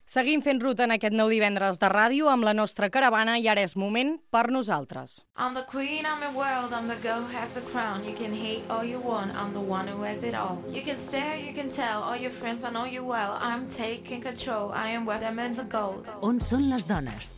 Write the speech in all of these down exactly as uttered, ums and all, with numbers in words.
Seguim fent ruta en aquest nou divendres de ràdio amb la nostra caravana i ara és moment per nosaltres. I'm the queen, I'm the world, I'm the girl who has the crown. You can hate all you want, I'm the one who has it all. You can stare, you can tell, all your friends, I know you well. I'm taking control, I am worth diamonds of gold. On són les dones?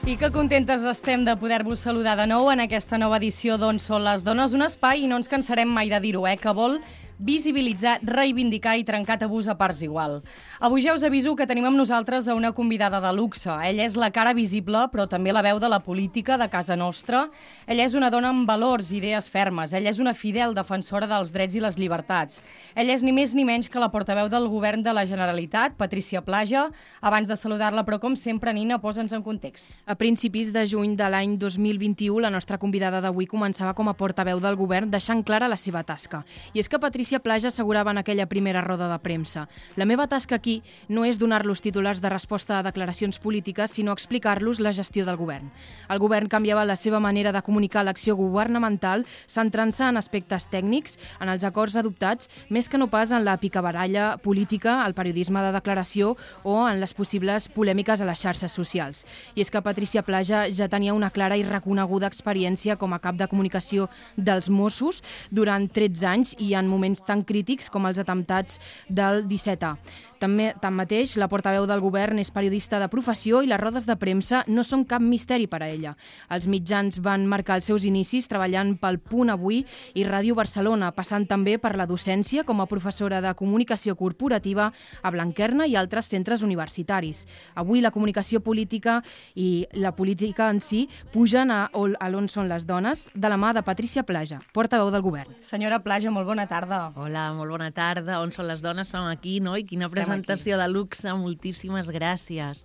I que contentes estem de poder-vos saludar de nou en aquesta nova edició d'On són les dones, un espai, i no ens cansarem mai de dir-ho, eh, que vol visibilitzar, reivindicar i trencar tabús a parts igual. Avui ja us aviso que tenim amb nosaltres a una convidada de luxe. Ella és la cara visible, però també la veu de la política de casa nostra. Ella és una dona amb valors i idees fermes. Ella és una fidel defensora dels drets i les llibertats. Ella és ni més ni menys que la portaveu del govern de la Generalitat, Patrícia Plaja. Abans de saludar-la, però com sempre, Nina, posa'ns en context. A principis de juny de l'any dos mil vint-i-u, la nostra convidada d'avui començava com a portaveu del govern, deixant clara la seva tasca. I és que Patrícia Plaja assegurava en aquella primera roda de premsa: la meva tasca aquí no és donar-los titulars de resposta a declaracions polítiques, sinó explicar-los la gestió del govern. El govern canviava la seva manera de comunicar l'acció governamental, centrant-se en aspectes tècnics, en els acords adoptats, més que no pas en la picabaralla política, el periodisme de declaració o en les possibles polèmiques a les xarxes socials. I és que Patrícia Plaja ja tenia una clara i reconeguda experiència com a cap de comunicació dels Mossos durant tretze anys i en moments tan crítics com els atemptats del disset A. També, tanmateix, la portaveu del govern és periodista de professió i les rodes de premsa no són cap misteri per a ella. Els mitjans van marcar els seus inicis treballant pel Punt Avui i Ràdio Barcelona, passant també per la docència com a professora de comunicació corporativa a Blanquerna i altres centres universitaris. Avui la comunicació política i la política en si pugen a, a l'On són les dones de la mà de Patrícia Plaja, portaveu del govern. Senyora Plaja, molt bona tarda. Hola, molt bona tarda. On són les dones? Som aquí, no? I quina presentació de luxe. Moltíssimes gràcies.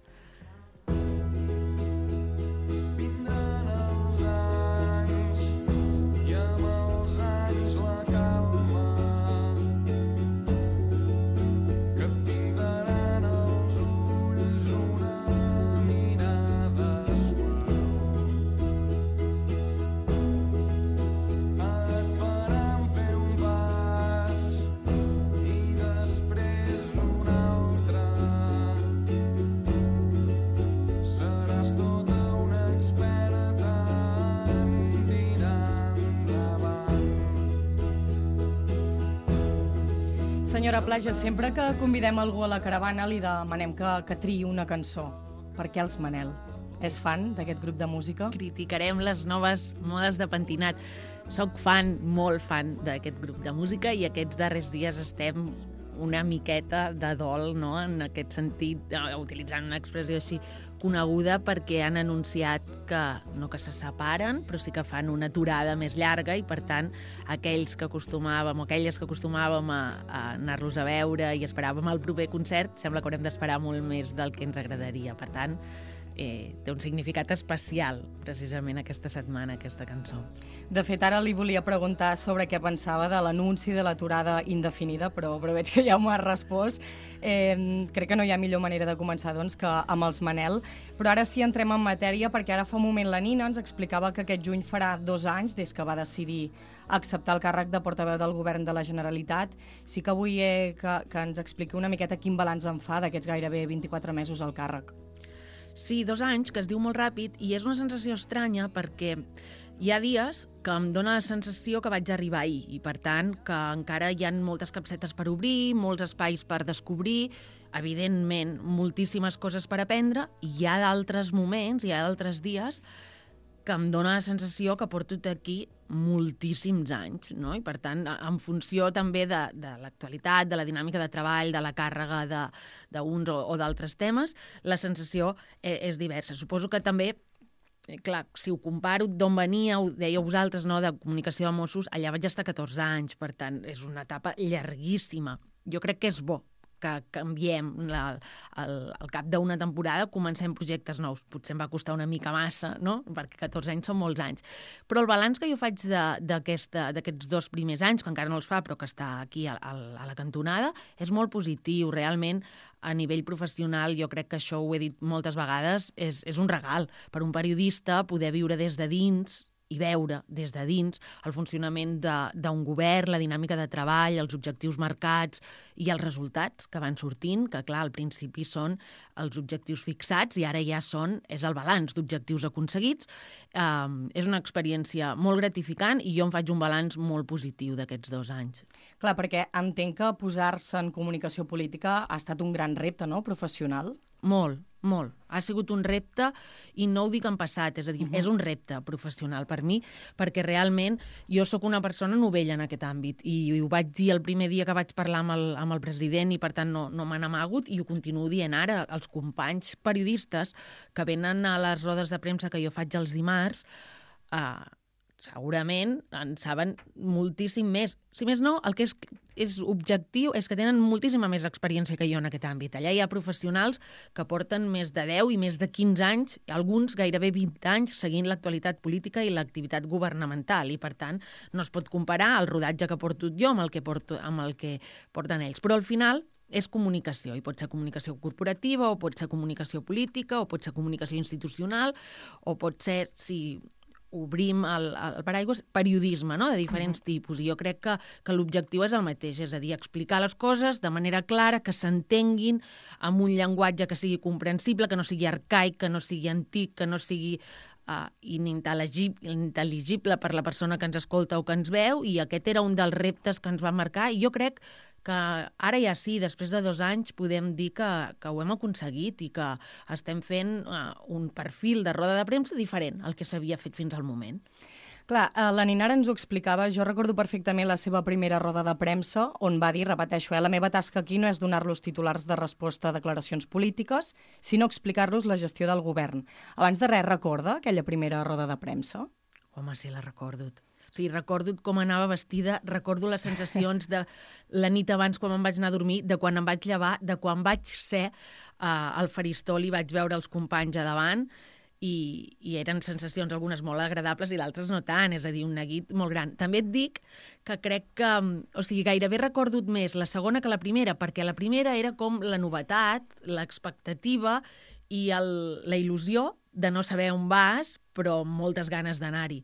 Senyora Plaja, sempre que convidem algú a la caravana li demanem que, que triï una cançó. Per què els Manel? És fan d'aquest grup de música? Criticarem les noves modes de pentinat. Soc fan, molt fan d'aquest grup de música i aquests darrers dies estem una miqueta de dol, no?, en aquest sentit, utilitzant una expressió així coneguda, perquè han anunciat que no que se separen, però sí que fan una aturada més llarga i, per tant, aquells que acostumàvem o aquelles que acostumàvem a, a anar-los a veure i esperàvem el proper concert, sembla que haurem d'esperar molt més del que ens agradaria. Per tant, Eh, té un significat especial, precisament, aquesta setmana, aquesta cançó. De fet, ara li volia preguntar sobre què pensava de l'anunci de l'aturada indefinida, però, però veig que ja m'ho ha respost. Eh, crec que no hi ha millor manera de començar, doncs, que amb els Manel. Però ara sí entrem en matèria, perquè ara fa un moment la Nina ens explicava que aquest juny farà dos anys des que va decidir acceptar el càrrec de portaveu del govern de la Generalitat. Sí que vull eh, que, que ens expliqui una miqueta quin balanç en fa d'aquests gairebé vint-i-quatre mesos al càrrec. Sí, dos anys, que es diu molt ràpid, i és una sensació estranya perquè hi ha dies que em dóna la sensació que vaig arribar ahir i, per tant, que encara hi ha moltes capsetes per obrir, molts espais per descobrir, evidentment, moltíssimes coses per aprendre, i hi ha d'altres moments, hi ha d'altres dies que em dóna la sensació que porto aquí moltíssims anys, no? I, per tant, en funció també de, de l'actualitat, de la dinàmica de treball, de la càrrega d'uns o, o d'altres temes, la sensació és, és diversa. Suposo que també, clar, si ho comparo d'on venia, ho dèieu vosaltres, no?, de comunicació de Mossos, allà vaig estar catorze anys, per tant, és una etapa llarguíssima. Jo crec que és bo que canviem la, el, al cap d'una temporada, comencem projectes nous. Potser em va costar una mica massa, no?, perquè catorze anys són molts anys. Però el balanç que jo faig d'aquests dos primers anys, que encara no els fa, però que està aquí a, a, a la cantonada, és molt positiu. Realment, a nivell professional, jo crec que això ho he dit moltes vegades, és, és un regal per un periodista poder viure des de dins i veure des de dins el funcionament d'un govern, la dinàmica de treball, els objectius marcats i els resultats que van sortint, que clar, al principi són els objectius fixats i ara ja són, és el balanç d'objectius aconseguits. Um, és una experiència molt gratificant i jo em faig un balanç molt positiu d'aquests dos anys. Clar, perquè entenc que posar-se en comunicació política ha estat un gran repte, no?, professional. Molt, molt. Ha sigut un repte i no ho dic en passat, és a dir, uh -huh. és un repte professional per mi, perquè realment jo sóc una persona novella en aquest àmbit i ho vaig dir el primer dia que vaig parlar amb el, amb el president i per tant no, no m'han amagut i ho continuo dient ara. Els companys periodistes que venen a les rodes de premsa que jo faig els dimarts, eh, segurament en saben moltíssim més. Si més no, el que és, és objectiu és que tenen moltíssima més experiència que jo en aquest àmbit. Allà hi ha professionals que porten més de deu i més de quinze anys, alguns gairebé vint anys, seguint l'actualitat política i l'activitat governamental. I, per tant, no es pot comparar el rodatge que porto jo amb el que, porto, amb el que porten ells. Però al final és comunicació, i pot ser comunicació corporativa, o pot ser comunicació política, o pot ser comunicació institucional, o pot ser, si obrim el, el paraigua, periodisme, no?, de diferents uh-huh. tipus. I jo crec que, que l'objectiu és el mateix, és a dir, explicar les coses de manera clara, que s'entenguin amb un llenguatge que sigui comprensible, que no sigui arcaic, que no sigui antic, que no sigui uh, inintel·ligible per la persona que ens escolta o que ens veu, i aquest era un dels reptes que ens va marcar, i jo crec que ara ja sí, després de dos anys, podem dir que, que ho hem aconseguit i que estem fent uh, un perfil de roda de premsa diferent al que s'havia fet fins al moment. Clar, la Ninara ens ho explicava, jo recordo perfectament la seva primera roda de premsa, on va dir, repeteixo, eh, la meva tasca aquí no és donar-los titulars de resposta a declaracions polítiques, sinó explicar-los la gestió del govern. Abans de res, recorda aquella primera roda de premsa? Home, sí, la recordo. O sigui, recordo com anava vestida, recordo les sensacions de la nit abans quan em vaig anar a dormir, de quan em vaig llevar, de quan vaig ser uh, al faristol i vaig veure els companys a davant, i, i eren sensacions algunes molt agradables i d'altres no tant, és a dir, un neguit molt gran. També et dic que crec que, o sigui, gairebé recordo més la segona que la primera, perquè la primera era com la novetat, l'expectativa i el, la il·lusió de no saber on vas, però amb moltes ganes d'anar-hi.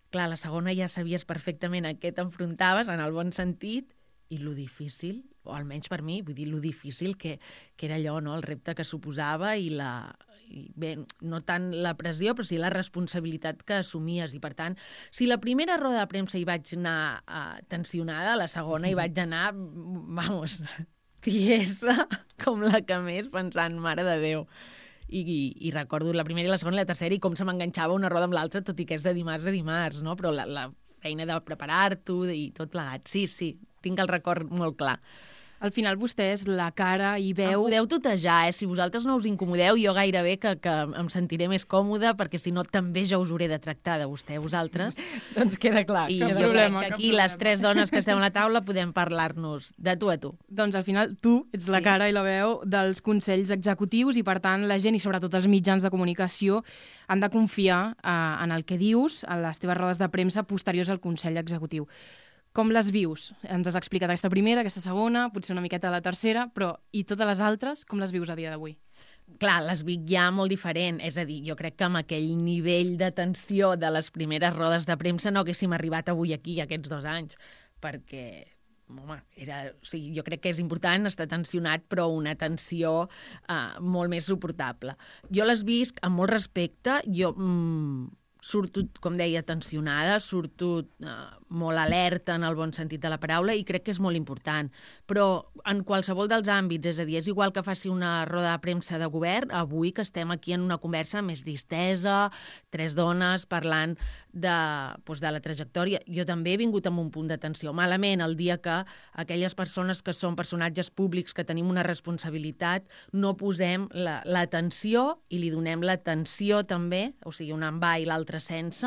Clar, la segona ja sabies perfectament a què t'enfrontaves, en el bon sentit, i lo difícil, o almenys per mi, vull dir, lo difícil que, que era allò, no?, el repte que suposava i la... I bé, no tant la pressió, però sí la responsabilitat que assumies. I, per tant, si la primera roda de premsa hi vaig anar uh, tensionada, la segona hi vaig anar, vamos, tiesa, com la que més, pensant, mare de Déu. I, i, i recordo la primera i la segona i la tercera i com se m'enganxava una roda amb l'altra, tot i que és de dimarts a dimarts, no? Però la, la feina de preparar-t'ho i tot plegat. Sí, sí, tinc el record molt clar. Al final vostè és la cara i veu... Em podeu tutejar, eh? Si vosaltres no us incomodeu, jo gairebé que, que em sentiré més còmoda, perquè si no també ja us hauré de tractar de vostè, vosaltres. Doncs queda clar. I jo problema, crec que aquí les tres dones que estem a la taula podem parlar-nos de tu a tu. Doncs al final tu ets sí. la cara i la veu dels consells executius i per tant la gent i sobretot els mitjans de comunicació han de confiar eh, en el que dius a les teves rodes de premsa posteriors al Consell Executiu. Com les vius? Ens has explicat aquesta primera, aquesta segona, potser una miqueta la tercera, però i totes les altres, com les vius a dia d'avui? Clar, les vic ja molt diferent. És a dir, jo crec que amb aquell nivell de tensió de les primeres rodes de premsa no haguéssim arribat avui aquí, aquests dos anys, perquè, home, era, o sigui, jo crec que és important estar tensionat, però una tensió uh, molt més suportable. Jo les visc amb molt respecte, jo... Mm, surto, com deia, tensionada, surto eh, molt alerta en el bon sentit de la paraula i crec que és molt important. Però en qualsevol dels àmbits, és a dir, és igual que faci una roda de premsa de govern, avui que estem aquí en una conversa més distesa, tres dones parlant de, doncs, de la trajectòria. Jo també he vingut amb un punt de tensió. Malament, el dia que aquelles persones que són personatges públics, que tenim una responsabilitat, no posem l'atenció i li donem l'atenció també, o sigui, un en va i l'altre sense,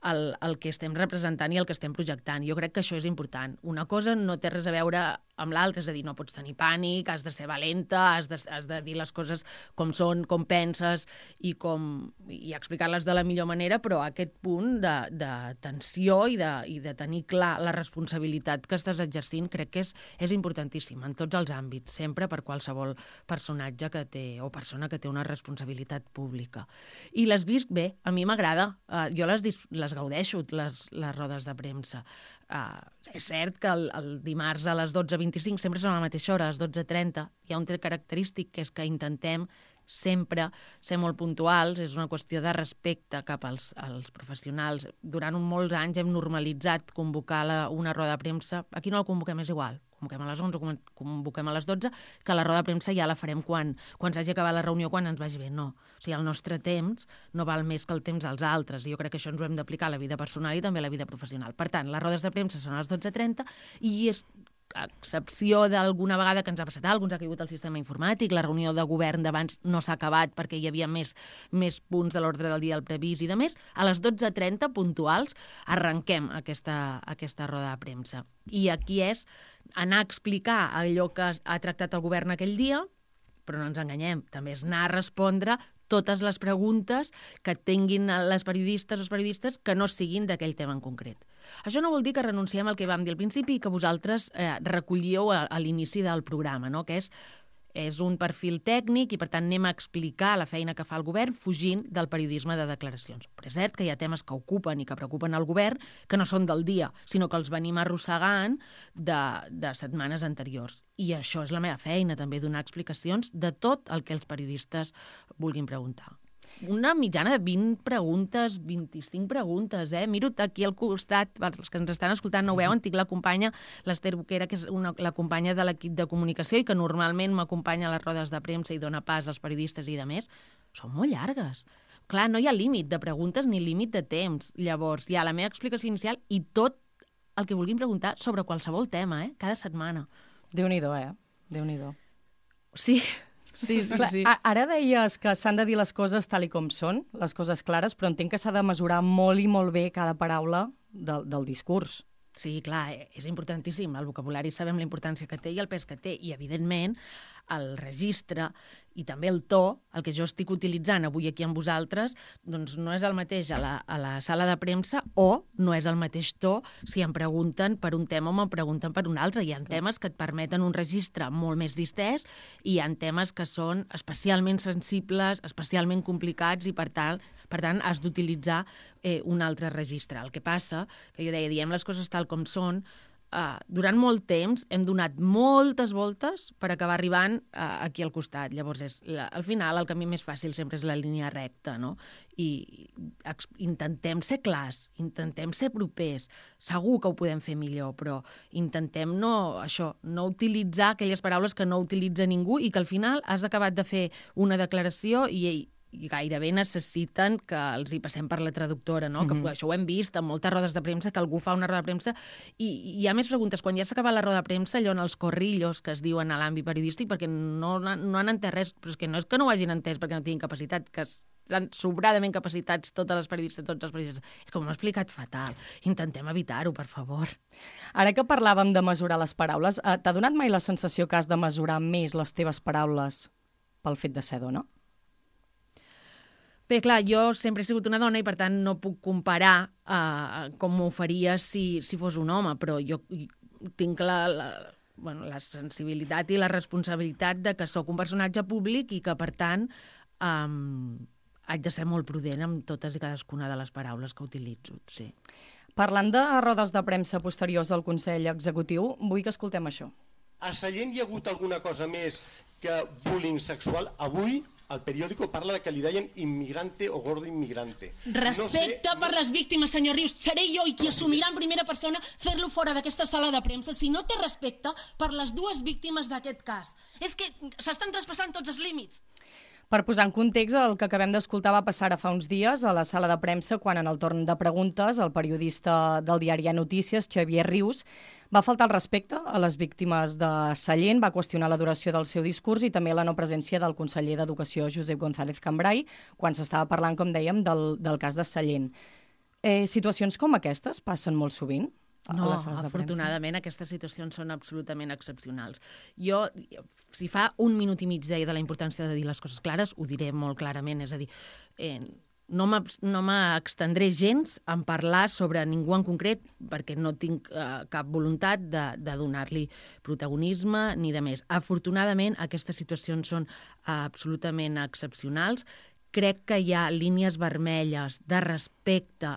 el, el que estem representant i el que estem projectant. Jo crec que això és important. Una cosa no té res a veure amb l'altre, és a dir, no pots tenir pànic, has de ser valenta, has de, has de dir les coses com són, com penses i, com, i explicar-les de la millor manera, però aquest punt de, de tensió i de, i de tenir clar la responsabilitat que estàs exercint crec que és, és importantíssim en tots els àmbits, sempre per qualsevol personatge que té o persona que té una responsabilitat pública. I les visc bé, a mi m'agrada, uh, jo les, les gaudeixo, les, les rodes de premsa. Uh, és cert que el, el dimarts a les dotze vint-i-cinc sempre són a la mateixa hora, a les dotze trenta. Hi ha un tret característic que és que intentem sempre ser molt puntuals, és una qüestió de respecte cap als, als professionals. Durant un molts anys hem normalitzat convocar la, una roda de premsa. Aquí no la convoquem, és igual. Convoquem a les onze, convoquem a les dotze, que la roda de premsa ja la farem quan, quan s'hagi acabat la reunió, quan ens vagi bé. No. O sigui, el nostre temps no val més que el temps dels altres. I jo crec que això ens ho hem d'aplicar a la vida personal i també a la vida professional. Per tant, les rodes de premsa són a les dotze trenta i és a excepció d'alguna vegada que ens ha passat alguna cosa, ens ha caigut el sistema informàtic, la reunió de govern d'abans no s'ha acabat perquè hi havia més, més punts de l'ordre del dia al previst i de més, a les dotze trenta puntuals arrenquem aquesta, aquesta roda de premsa. I aquí és anar a explicar allò que ha tractat el govern aquell dia, però no ens enganyem, també és anar a respondre totes les preguntes que tinguin les periodistes o els periodistes que no siguin d'aquell tema en concret. Això no vol dir que renunciem al que vam dir al principi i que vosaltres eh, recollíeu a, a l'inici del programa, no? Que és, és un perfil tècnic i, per tant, anem a explicar la feina que fa el govern fugint del periodisme de declaracions. Però és cert que hi ha temes que ocupen i que preocupen el govern que no són del dia, sinó que els venim arrossegant de, de setmanes anteriors. I això és la meva feina, també, donar explicacions de tot el que els periodistes vulguin preguntar. Una mitjana de vint preguntes, vint-i-cinc preguntes, eh? Miro aquí al costat, els que ens estan escoltant no ho veuen, tinc la companya, l'Ester Boquera, que és una, la companya de l'equip de comunicació i que normalment m'acompanya a les rodes de premsa i dona pas als periodistes i de més. Són molt llargues. Clar, no hi ha límit de preguntes ni límit de temps. Llavors, hi ha la meva explicació inicial i tot el que vulguin preguntar sobre qualsevol tema, eh? Cada setmana. Déu-n'hi-do, eh? Déu-n'hi-do. Sí. Sí, sí, Clar, sí. Ara deies que s'han de dir les coses tal i com són, les coses clares, però entenc que s'ha de mesurar molt i molt bé cada paraula del, del discurs. Sí, clar, és importantíssim. El vocabulari sabem la importància que té i el pes que té. I, evidentment, el registre i també el to, el que jo estic utilitzant avui aquí amb vosaltres, doncs no és el mateix a la, a la sala de premsa o no és el mateix to si em pregunten per un tema o me'n pregunten per un altre. Hi ha temes que et permeten un registre molt més distès i hi ha temes que són especialment sensibles, especialment complicats i, per tant, per tant has d'utilitzar eh, un altre registre. El que passa, que jo deia, diem les coses tal com són, Uh, durant molt temps hem donat moltes voltes per acabar arribant uh, aquí al costat. Llavors, és la, al final, el camí més fàcil sempre és la línia recta, no? I ex, intentem ser clars, intentem ser propers. Segur que ho podem fer millor, però intentem no, això, no utilitzar aquelles paraules que no utilitza ningú i que al final has acabat de fer una declaració i i gairebé necessiten que els hi passem per la traductora, no? Mm-hmm. Que això ho hem vist en moltes rodes de premsa, que algú fa una roda de premsa i, i hi ha més preguntes. Quan ja s'ha acabat la roda de premsa, allò en els corrillos que es diuen a l'àmbit periodístic, perquè no, no han entès res, però és que no és que no ho hagin entès perquè no tinguin capacitat, que estan sobradament capacitats totes les periodistes, tots els periodistes. És com m'ho he explicat fatal. Intentem evitar-ho, per favor. Ara que parlàvem de mesurar les paraules, t'ha donat mai la sensació que has de mesurar més les teves paraules pel fet de ser dona? Bé, clar, jo sempre he sigut una dona i, per tant, no puc comparar uh, com m'ho faria si, si fos un home, però jo tinc la, la, bueno, la sensibilitat i la responsabilitat de que sóc un personatge públic i que, per tant, um, haig de ser molt prudent amb totes i cadascuna de les paraules que utilitzo, sí. Parlant de rodes de premsa posteriors del Consell Executiu, vull que escoltem això. A Sallent hi ha hagut alguna cosa més que bullying sexual? Avui el periòdico parla de que li deien immigrante o gordo immigrante. Respecte no sé, per les víctimes, senyor Rius. Seré jo i qui assumirà en primera persona fer-lo fora d'aquesta sala de premsa si no té respecte per les dues víctimes d'aquest cas. És que s'estan traspassant tots els límits. Per posar en context, el que acabem d'escoltar va passar fa uns dies a la sala de premsa quan en el torn de preguntes el periodista del diari A Notícies, Xavier Rius, va faltar el respecte a les víctimes de Sallent, va qüestionar la duració del seu discurs i també la no presència del conseller d'Educació, Josep González Cambray, quan s'estava parlant, com dèiem, del, del cas de Sallent. Eh, situacions com aquestes passen molt sovint? a No, les sales de premsa. afortunadament aquestes situacions són absolutament excepcionals. Jo, si fa un minut i mig deia de la importància de dir les coses clares, ho diré molt clarament, és a dir, eh, no m'extendré gens en parlar sobre ningú en concret perquè no tinc eh, cap voluntat de, de donar-li protagonisme ni de més. Afortunadament, aquestes situacions són absolutament excepcionals. Crec que hi ha línies vermelles de respecte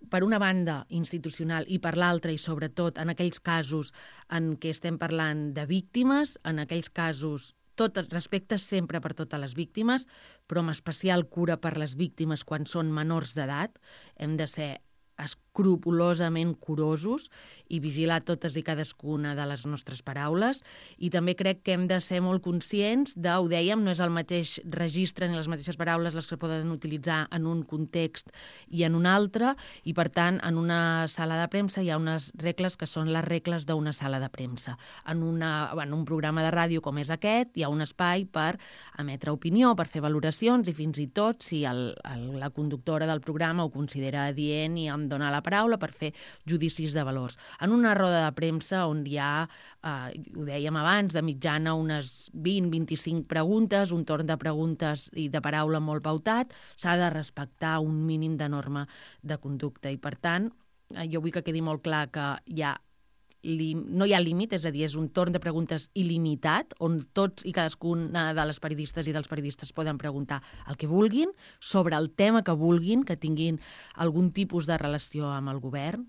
per una banda institucional i per l'altra, i sobretot en aquells casos en què estem parlant de víctimes, en aquells casos tot respecte sempre per totes les víctimes, però amb especial cura per les víctimes quan són menors d'edat. Hem de ser escrupolosament curosos i vigilar totes i cadascuna de les nostres paraules, i també crec que hem de ser molt conscients de, ho dèiem, no és el mateix registre ni les mateixes paraules les que poden utilitzar en un context i en un altre, i per tant en una sala de premsa hi ha unes regles que són les regles d'una sala de premsa. En, una, en un programa de ràdio com és aquest hi ha un espai per emetre opinió, per fer valoracions, i fins i tot si el, el, la conductora del programa ho considera adient i em dona la paraula per fer judicis de valors. En una roda de premsa on hi ha, eh, ho dèiem abans, de mitjana unes vint a vint-i-cinc preguntes, un torn de preguntes i de paraula molt pautat, s'ha de respectar un mínim de norma de conducta, i per tant, eh, jo vull que quedi molt clar que hi ha no hi ha límit, és a dir, és un torn de preguntes il·limitat, on tots i cadascuna de les periodistes i dels periodistes poden preguntar el que vulguin, sobre el tema que vulguin, que tinguin algun tipus de relació amb el govern,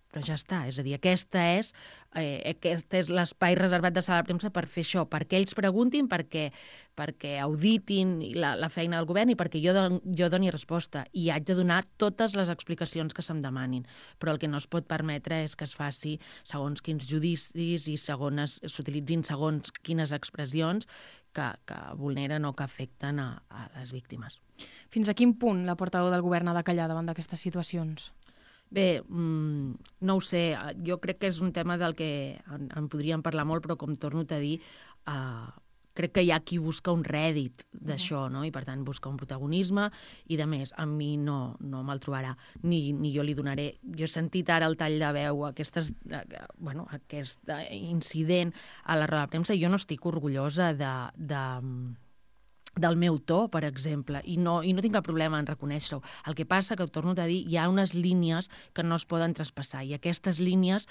però ja està. És a dir, aquesta és, eh, aquest és l'espai reservat de sala de premsa per fer això, perquè ells preguntin, perquè, perquè auditin la, la feina del govern i perquè jo, don, jo doni resposta. I haig de donar totes les explicacions que se'm demanin. Però el que no es pot permetre és que es faci segons quins judicis i segons s'utilitzin segons quines expressions que, que vulneren o que afecten a, a les víctimes. Fins a quin punt la portaveu del govern ha de callar davant d'aquestes situacions? Bé, mmm, no ho sé, jo crec que és un tema del que en, en podríem parlar molt, però com torno a dir, eh, crec que hi ha qui busca un rèdit d'això, no? I per tant busca un protagonisme i de més. A mi no, no me'l trobarà, ni, ni jo li donaré. Jo he sentit ara el tall de veu, aquestes, eh, bueno, aquest incident a la roda de premsa, i jo no estic orgullosa de... de del meu to, per exemple, i no, i no tinc cap problema en reconèixer-ho. El que passa, que ho torno a dir, hi ha unes línies que no es poden traspassar, i aquestes línies,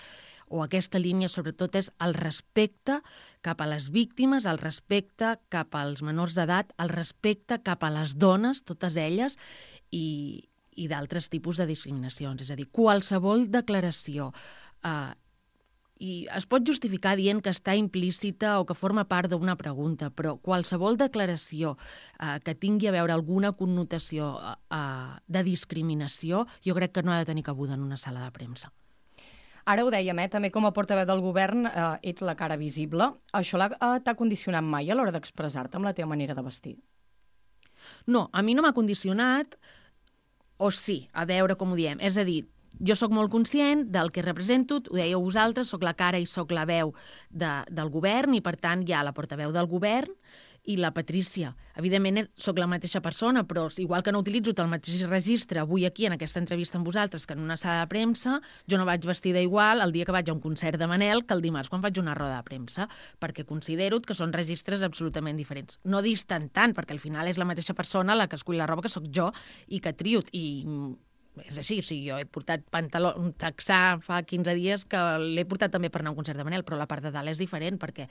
o aquesta línia sobretot, és el respecte cap a les víctimes, el respecte cap als menors d'edat, el respecte cap a les dones, totes elles, i, i d'altres tipus de discriminacions. És a dir, qualsevol declaració eh, i es pot justificar dient que està implícita o que forma part d'una pregunta, però qualsevol declaració eh, que tingui a veure alguna connotació eh, de discriminació, jo crec que no ha de tenir cabuda en una sala de premsa. Ara ho dèiem, eh? També com a portaveu del govern eh, ets la cara visible. Això eh, t'ha condicionat mai a l'hora d'expressar-te amb la teva manera de vestir? No, a mi no m'ha condicionat, o sí, a veure com ho diem. És a dir, jo sóc molt conscient del que represento, ho dèieu vosaltres, sóc la cara i sóc la veu de, del govern, i per tant hi ha la portaveu del govern i la Patrícia. Evidentment sóc la mateixa persona, però igual que no utilitzo el mateix registre avui aquí en aquesta entrevista amb vosaltres que en una sala de premsa, jo no vaig vestida igual el dia que vaig a un concert de Manel que el dimarts quan faig una roda de premsa, perquè considero que són registres absolutament diferents. No distant tant, perquè al final és la mateixa persona la que escull la roba que sóc jo i que trio, i és així, o sigui, jo he portat pantaló, un texà fa quinze dies que l'he portat també per anar a un concert de Manel, però la part de dalt és diferent perquè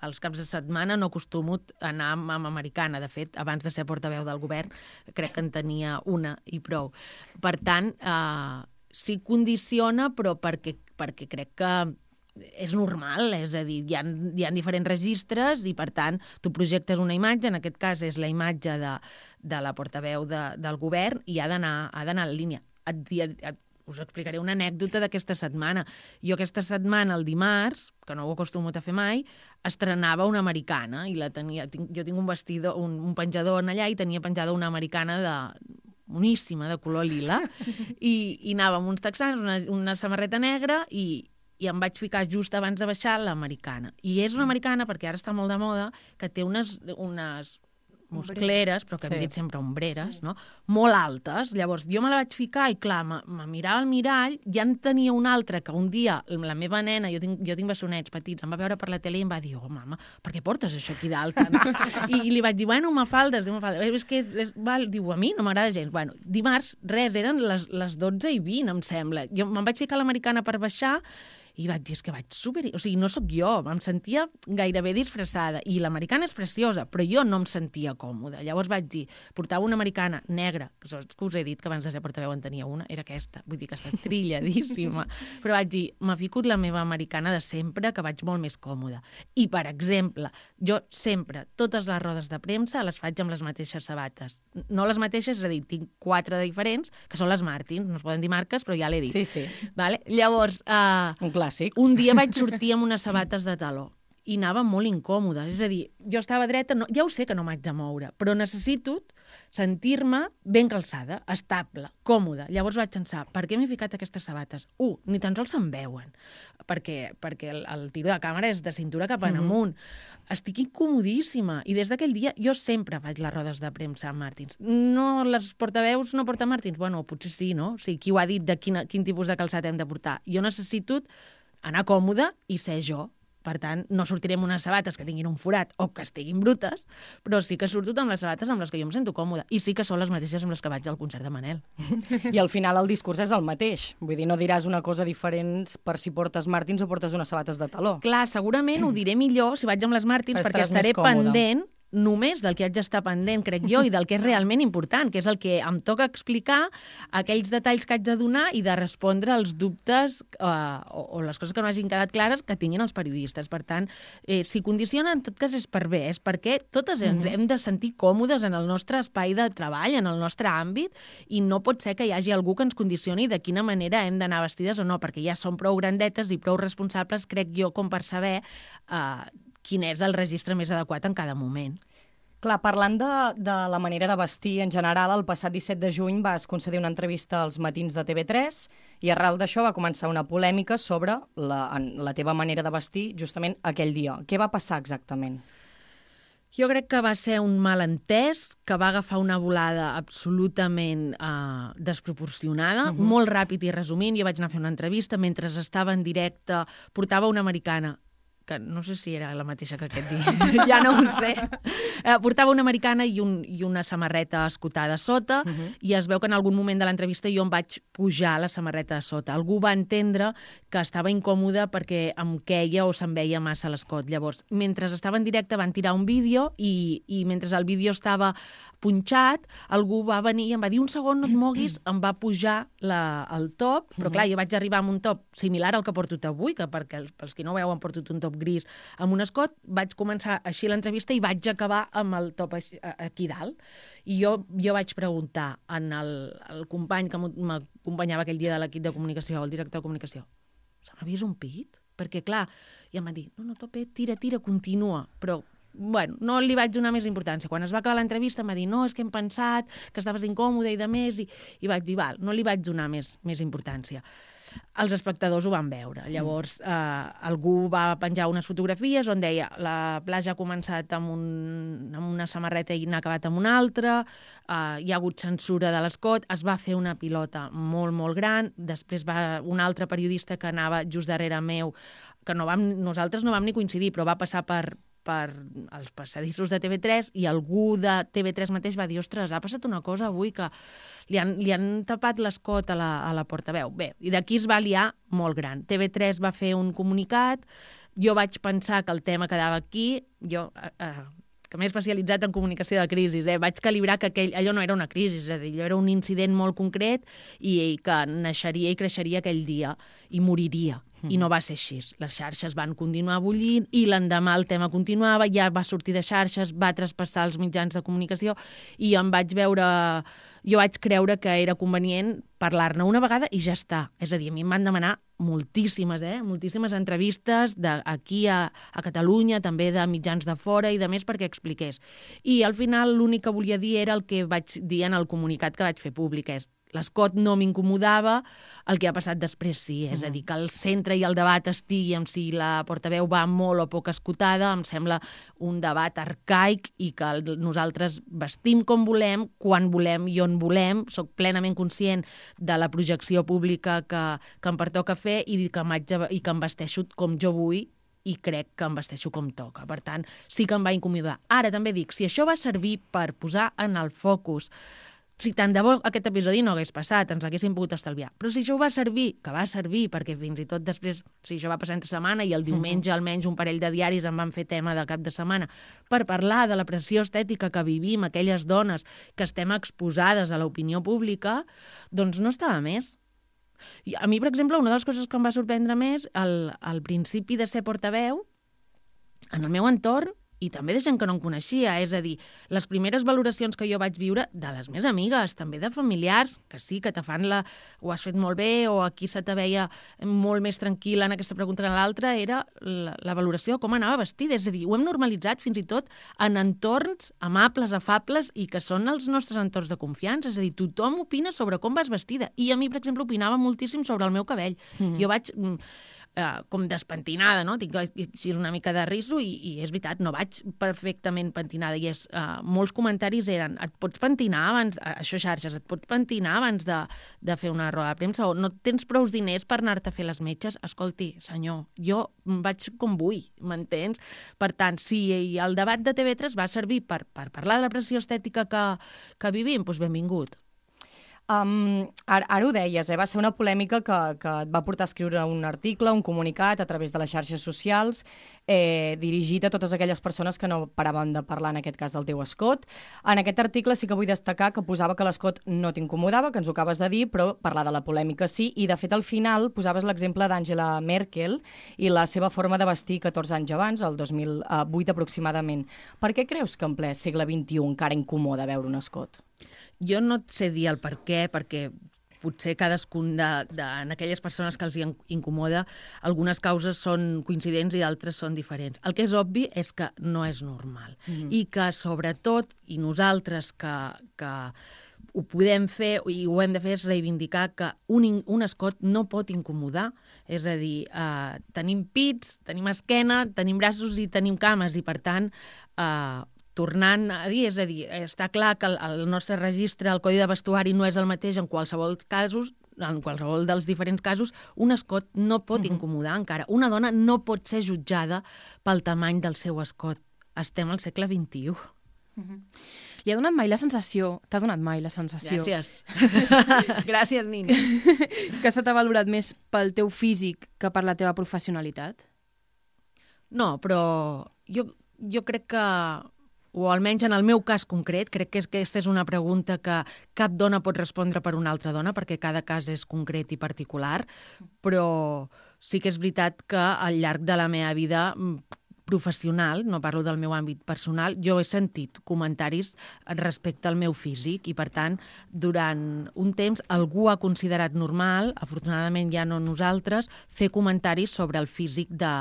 els caps de setmana no acostumo a anar amb, amb americana. De fet, abans de ser portaveu del govern, crec que en tenia una i prou. Per tant, eh, sí condiciona, però perquè, perquè crec que és normal, és a dir, hi ha, hi ha diferents registres i, per tant, tu projectes una imatge, en aquest cas és la imatge de, de la portaveu de, del govern, i ha d'anar ha d'anar en línia. Et, et, us explicaré una anècdota d'aquesta setmana. Jo aquesta setmana, el dimarts, que no ho acostumo a fer mai, estrenava una americana, i la tenia, jo tinc un vestidor, un, un penjador en allà, i tenia penjada una americana de moníssima, de color lila, i, i anava amb uns texans, una, una samarreta negra, i i em vaig ficar just abans de baixar l'americana. I és una americana, perquè ara està molt de moda, que té unes, unes muscleres, però que hem Sí. dit sempre ombreres, no? Molt altes. Llavors, jo me la vaig ficar i, clar, me, me mirava al mirall, ja en tenia una altra que un dia la meva nena, jo tinc, jo tinc bessonets petits, em va veure per la tele i em va dir, oh, mama, per què portes això aquí dalt? I, I li vaig dir, bueno, m'afaldes, diu, m'afaldes. És que, és, val, diu, a mi no m'agrada gens. Bueno, dimarts, res, eren les, les dotze i vint, em sembla. Jo me'n vaig ficar a l'americana per baixar i vaig dir, és que vaig super... O sigui, no sóc jo, em sentia gairebé disfressada. I l'americana és preciosa, però jo no em sentia còmoda. Llavors vaig dir, portava una americana negra, que us he dit que abans de ser portaveu en tenia una, era aquesta, vull dir que està trilladíssima. Però vaig dir, m'ha ficat la meva americana de sempre, que vaig molt més còmoda. I, per exemple, jo sempre, totes les rodes de premsa les faig amb les mateixes sabates. No les mateixes, és a dir, tinc quatre diferents, que són les Martins, no es poden dir marques, però ja l'he dit. Sí, sí. Vale? Llavors... Uh, Un clàssic. Un dia vaig sortir amb unes sabates de taló i anava molt incòmoda. És a dir, jo estava dreta, no, ja ho sé que no m'haig de moure, però necessito sentir-me ben calçada, estable, còmoda. Llavors vaig pensar, per què m'he ficat aquestes sabates? Un, ni tan sols se'n veuen, perquè, perquè el, el tiro de càmera és de cintura cap en amunt. Mm-hmm. Estic incomodíssima. I des d'aquell dia jo sempre faig les rodes de premsa amb Martins. No, les portaveus no porten Martins? Bueno, potser sí, no? O sigui, qui ho ha dit de quin, quin tipus de calçat hem de portar? Jo necessito anar còmoda i ser jo. Per tant, no sortiré amb unes sabates que tinguin un forat o que estiguin brutes, però sí que surto amb les sabates amb les que jo em sento còmoda. I sí que són les mateixes amb les que vaig al concert de Manel. I al final el discurs és el mateix. Vull dir, no diràs una cosa diferent per si portes Martins o portes unes sabates de taló. Clar, segurament ho diré millor si vaig amb les Martins, Estaràs perquè estaré més còmode. pendent només del que haig d'estar pendent, crec jo, i del que és realment important, que és el que em toca explicar, aquells detalls que haig de donar i de respondre als dubtes eh, o, o les coses que no hagin quedat clares que tinguin els periodistes. Per tant, eh, si condiciona, en tot cas és per bé, és perquè totes ens Mhm. hem de sentir còmodes en el nostre espai de treball, en el nostre àmbit, i no pot ser que hi hagi algú que ens condicioni de quina manera hem d'anar vestides o no, perquè ja som prou grandetes i prou responsables, crec jo, com per saber eh, quin és el registre més adequat en cada moment. Clar, parlant de, de la manera de vestir en general, el passat disset de juny vas concedir una entrevista als matins de T V tres i arrel d'això va començar una polèmica sobre la, la teva manera de vestir justament aquell dia. Què va passar exactament? Jo crec que va ser un malentès que va agafar una volada absolutament eh, desproporcionada, uh-huh. molt ràpid i resumint. Jo vaig anar a fer una entrevista mentre estava en directe, portava una americana, que no sé si era la mateixa que aquest dia, ja no ho sé. Eh, portava una americana i, un, i una samarreta escotada a sota, uh-huh. i es veu que en algun moment de l'entrevista jo em vaig pujar la samarreta a sota. Algú va entendre que estava incòmoda perquè em queia o se'm veia massa l'escot. Llavors, mentre estava en directe van tirar un vídeo i, i mentre el vídeo estava punxat, algú va venir i em va dir un segon, no et moguis, em va pujar la, el top, però clar, jo vaig arribar amb un top similar al que porto avui, que perquè pels que no ho veuen porto un top gris amb un escot, vaig començar així l'entrevista i vaig acabar amb el top així, aquí dalt. I jo, jo vaig preguntar en el, el company que m'acompanyava aquell dia de l'equip de comunicació, el director de comunicació, se m'ha vist un pit? Perquè clar, i em va dir, no, no, topet, tira, tira, continua, però bueno, no li vaig donar més importància. Quan es va acabar l'entrevista em va dir, no, és que hem pensat que estaves incòmode i de més, i, i vaig dir, val, no li vaig donar més, més importància. Els espectadors ho van veure. Llavors, eh, algú va penjar unes fotografies on deia la platja ha començat amb, un, amb una samarreta i n'ha acabat amb una altra, eh, hi ha hagut censura de l'escot, es va fer una pilota molt, molt gran, després va un altre periodista que anava just darrere meu, que no vam, nosaltres no vam ni coincidir, però va passar per, per els passadissos de T V tres i algú de T V tres mateix va dir, ostres, ha passat una cosa avui que li han, li han tapat l'escot a la, a la portaveu. Bé, i d'aquí es va liar molt gran. T V tres va fer un comunicat, jo vaig pensar que el tema quedava aquí, jo... Eh, eh, que m'he especialitzat en comunicació de crisis, eh? Vaig calibrar que aquell, allò no era una crisi, és a dir, allò era un incident molt concret i, i que naixeria i creixeria aquell dia i moriria. I no va ser així. Les xarxes van continuar bullint i l'endemà el tema continuava, ja va sortir de xarxes, va traspassar els mitjans de comunicació i em vaig veure... Jo vaig creure que era convenient parlar-ne una vegada i ja està. És a dir, a mi em van demanar moltíssimes, eh? moltíssimes entrevistes d'aquí a, a Catalunya, també de mitjans de fora i de més perquè expliqués. I al final l'únic que volia dir era el que vaig dir en el comunicat que vaig fer públic, és l'escot no m'incomodava, el que ha passat després sí, és a dir, que el centre i el debat estigui amb si la portaveu va molt o poc escotada, em sembla un debat arcaic i que nosaltres vestim com volem, quan volem i on volem. Soc plenament conscient de la projecció pública que, que em pertoca fer i que, i que em vesteixo com jo vull i crec que em vesteixo com toca. Per tant, sí que em va incomodar. Ara també dic, si això va servir per posar en el focus, si tant de bo aquest episodi no hagués passat, ens l'haguéssim pogut estalviar. Però si això va servir, que va servir, perquè fins i tot després, si això va passar entre setmana i el diumenge almenys un parell de diaris en van fer tema de cap de setmana, per parlar de la pressió estètica que vivim aquelles dones que estem exposades a l'opinió pública, doncs no estava més. I a mi, per exemple, una de les coses que em va sorprendre més, al, al principi de ser portaveu, en el meu entorn, i també de gent que no em coneixia, és a dir, les primeres valoracions que jo vaig viure de les meves amigues, també de familiars, que sí, que te fan la... ho has fet molt bé, o aquí se te veia molt més tranquil·la en aquesta pregunta que en l'altra, era la, la valoració de com anava vestida. És a dir, ho hem normalitzat fins i tot en entorns amables, afables, i que són els nostres entorns de confiança. És a dir, tothom opina sobre com vas vestida. I a mi, per exemple, opinava moltíssim sobre el meu cabell. Mm-hmm. Jo vaig... Uh, com despentinada, no? Tinc així una mica de riso i, i és veritat, no vaig perfectament pentinada i és, uh, molts comentaris eren et pots pentinar abans, uh, això xarxes, et pots pentinar abans de, de fer una roda de premsa o no tens prou diners per anar-te a fer les metges. Escolti, senyor, jo vaig com vull, m'entens? Per tant, si el debat de T V tres va servir per, per parlar de la pressió estètica que, que vivim, doncs benvingut. Um, ara, ara ho deies, eh? Va ser una polèmica que, que et va portar a escriure un article, un comunicat a través de les xarxes socials, eh, dirigit a totes aquelles persones que no paraven de parlar, en aquest cas, del teu escot. En aquest article sí que vull destacar que posava que l'escot no t'incomodava, que ens ho acabes de dir, però parlar de la polèmica sí, i de fet al final posaves l'exemple d'Angela Merkel i la seva forma de vestir catorze anys abans, el dos mil vuit aproximadament. Per què creus que en ple segle vint-i-u encara incomoda veure un escot? Jo no et sé dir el per què, perquè potser cadascun de, de, en aquelles persones que els hi incomoda, algunes causes són coincidents i d'altres són diferents. El que és obvi és que no és normal. Mm-hmm. I que, sobretot, i nosaltres que, que ho podem fer i ho hem de fer és reivindicar que un, un escot no pot incomodar. És a dir, eh, tenim pits, tenim esquena, tenim braços i tenim cames i, per tant, eh, tornant a dir, és a dir, està clar que el, el nostre registre, el codi de vestuari no és el mateix en qualsevol casos, en qualsevol dels diferents casos, un escot no pot uh-huh. incomodar encara. Una dona no pot ser jutjada pel tamany del seu escot. Estem al segle vint-i-u. Uh-huh. Li ha donat mai la sensació, t'ha donat mai la sensació... Gràcies. Gràcies, Nina. Que se t'ha valorat més pel teu físic que per la teva professionalitat? No, però jo, jo crec que... o almenys en el meu cas concret, crec que aquesta és una pregunta que cap dona pot respondre per una altra dona, perquè cada cas és concret i particular, però sí que és veritat que al llarg de la meva vida professional, no parlo del meu àmbit personal, jo he sentit comentaris respecte al meu físic i, per tant, durant un temps algú ha considerat normal, afortunadament ja no nosaltres, fer comentaris sobre el físic de,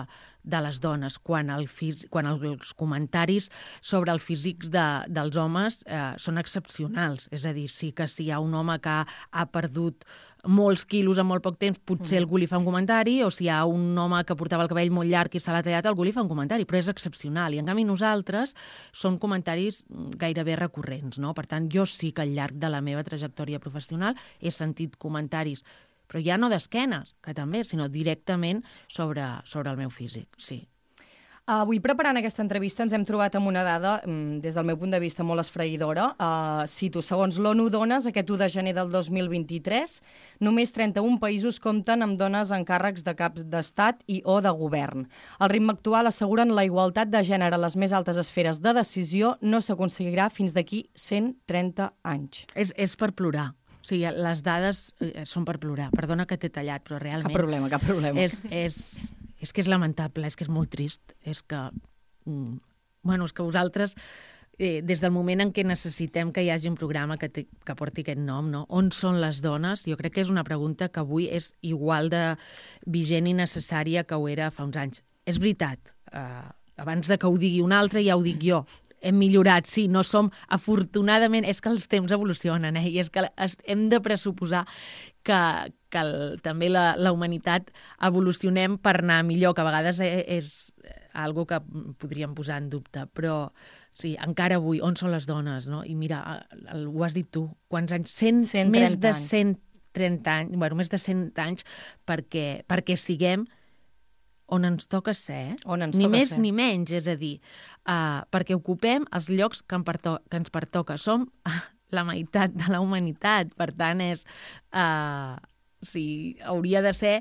de les dones, quan, el fís, quan els comentaris sobre el físic de, dels homes eh, són excepcionals. És a dir, sí que si hi ha un home que ha, ha perdut molts quilos en molt poc temps, potser mm. algú li fa un comentari, o si hi ha un home que portava el cabell molt llarg i se l'ha tallat, algú li fa un comentari, però és excepcional. I, en canvi, nosaltres són comentaris gairebé recurrents, no? Per tant, jo sí que al llarg de la meva trajectòria professional he sentit comentaris, però ja no d'esquenes, que també, sinó directament sobre, sobre el meu físic, sí. Avui, preparant aquesta entrevista, ens hem trobat amb una dada, des del meu punt de vista, molt esfraïdora. Uh, cito, segons l'ONU Dones, aquest u de gener del dos mil vint-i-tres, només trenta-un països compten amb dones en càrrecs de caps d'estat i o de govern. Al ritme actual asseguren la igualtat de gènere a les més altes esferes de decisió no s'aconseguirà fins d'aquí cent trenta anys. És, és per plorar. O sigui, les dades eh, són per plorar. Perdona que t'he tallat, però realment... Cap problema, cap problema. És, és, és que és lamentable, és que és molt trist. És que... Mm, bueno, és que vosaltres, eh, des del moment en què necessitem que hi hagi un programa que, te, que porti aquest nom, no? On són les dones? Jo crec que és una pregunta que avui és igual de vigent i necessària que ho era fa uns anys. És veritat, eh, abans de que ho digui un altre ja ho dic jo. hem millorat, sí, no som, afortunadament, és que els temps evolucionen, eh? I és que hem de pressuposar que, que el, també la, la humanitat evolucionem per anar millor, que a vegades és algo que podríem posar en dubte, però sí, encara avui, on són les dones, no? I mira, el, ho has dit tu, quants anys? cent, més de cent trenta anys, bueno, més de cent anys perquè, perquè siguem on ens toca ser, on ens ni toca més ser. ni menys, és a dir, uh, perquè ocupem els llocs que, perto que ens pertoca. Som uh, la meitat de la humanitat, per tant, és, uh, sí, hauria de ser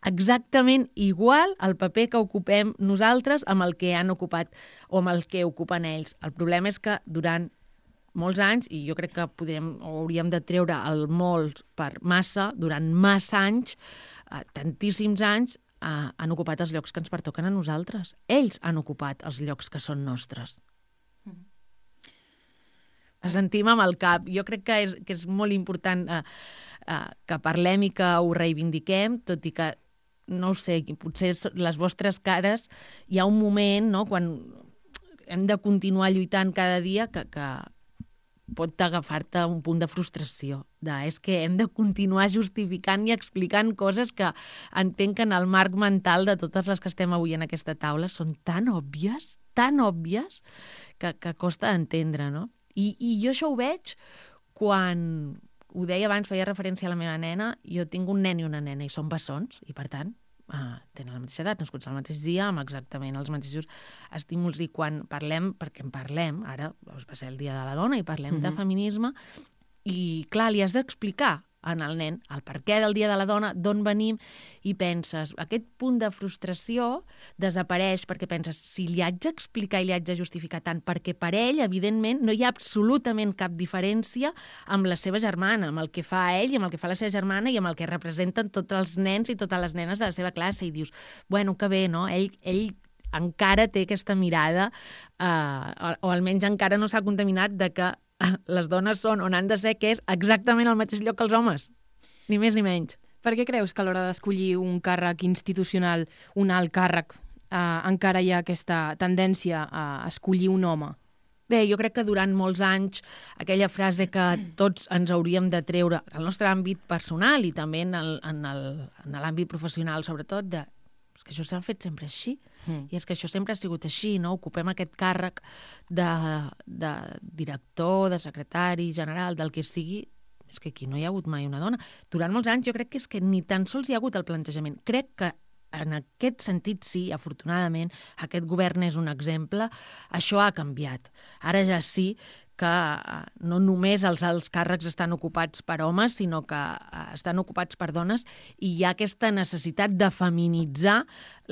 exactament igual el paper que ocupem nosaltres amb el que han ocupat o amb el que ocupen ells. El problema és que durant molts anys, i jo crec que podrem, o hauríem de treure el molt per massa, durant massa anys, uh, tantíssims anys, Uh, han ocupat els llocs que ens pertoquen a nosaltres. Ells han ocupat els llocs que són nostres. Mm. Sentim amb el cap. Jo crec que és, que és molt important uh, uh, que parlem i que ho reivindiquem, tot i que, no ho sé, potser les vostres cares, hi ha un moment, no?, quan hem de continuar lluitant cada dia que, que pot agafar-te un punt de frustració. De, és que hem de continuar justificant i explicant coses que entenc que en el marc mental de totes les que estem avui en aquesta taula són tan òbvies, tan òbvies, que, que costa d'entendre, no? I, I jo això ho veig quan, ho deia abans, feia referència a la meva nena, jo tinc un nen i una nena i són bessons, i per tant, Uh, tenen la mateixa edat, nascuts al mateix dia, amb exactament els mateixos estímuls, i quan parlem, perquè en parlem, ara va ser el Dia de la Dona i parlem mm-hmm. de feminisme, i clar, li has d'explicar en el nen el per què del Dia de la Dona, d'on venim, i penses, aquest punt de frustració desapareix perquè penses, si li haig d'explicar i li haig de justificar tant, perquè per ell, evidentment, no hi ha absolutament cap diferència amb la seva germana, amb el que fa ell i amb el que fa la seva germana i amb el que representen tots els nens i totes les nenes de la seva classe, i dius, bueno, que bé, no? Ell, ell encara té aquesta mirada, eh, o, o almenys encara no s'ha contaminat de que les dones són on han de ser, que és exactament al mateix lloc que els homes, ni més ni menys. Per què creus que a l'hora d'escollir un càrrec institucional, un alt càrrec, eh, encara hi ha aquesta tendència a escollir un home? Bé, jo crec que durant molts anys aquella frase que tots ens hauríem de treure al nostre àmbit personal i també en el, en el, en l'àmbit professional, sobretot, de que això s'ha fet sempre així, mm. i és que això sempre ha sigut així, no? Ocupem aquest càrrec de, de director, de secretari general, del que sigui, és que aquí no hi ha hagut mai una dona. Durant molts anys jo crec que és que ni tan sols hi ha hagut el plantejament. Crec que en aquest sentit sí, afortunadament, aquest govern és un exemple, això ha canviat. Ara ja sí que no només els alts càrrecs estan ocupats per homes, sinó que estan ocupats per dones, i hi ha aquesta necessitat de feminitzar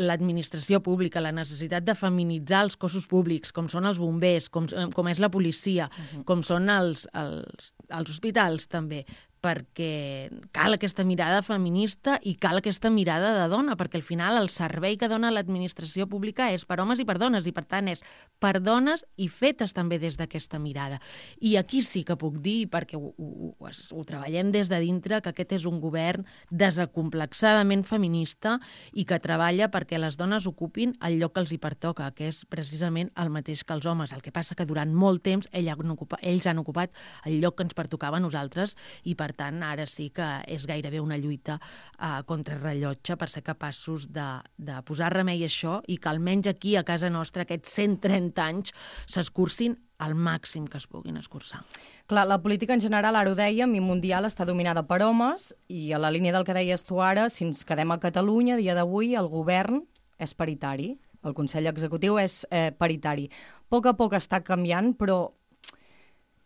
l'administració pública, la necessitat de feminitzar els cossos públics, com són els bombers, com, com és la policia, uh-huh. com són els, els, els hospitals també, perquè cal aquesta mirada feminista i cal aquesta mirada de dona, perquè al final el servei que dona l'administració pública és per homes i per dones, i per tant és per dones i fetes també des d'aquesta mirada. I aquí sí que puc dir, perquè ho, ho, ho, ho treballem des de dintre, que aquest és un govern desacomplexadament feminista i que treballa perquè les dones ocupin el lloc que els hi pertoca, que és precisament el mateix que els homes. El que passa que durant molt temps ells han ocupat, ells han ocupat el lloc que ens pertocava a nosaltres, i per tant, ara sí que és gairebé una lluita uh, contra el rellotge per ser capaços de, de posar remei a això i que almenys aquí, a casa nostra, aquests cent trenta anys s'escurcin al màxim que es puguin escurçar. Clar, la política en general, ara ho dèiem, i mundial està dominada per homes, i a la línia del que deies tu ara, si ens quedem a Catalunya, a dia d'avui, el govern és paritari, el Consell Executiu és eh, paritari. A poc a poc està canviant, però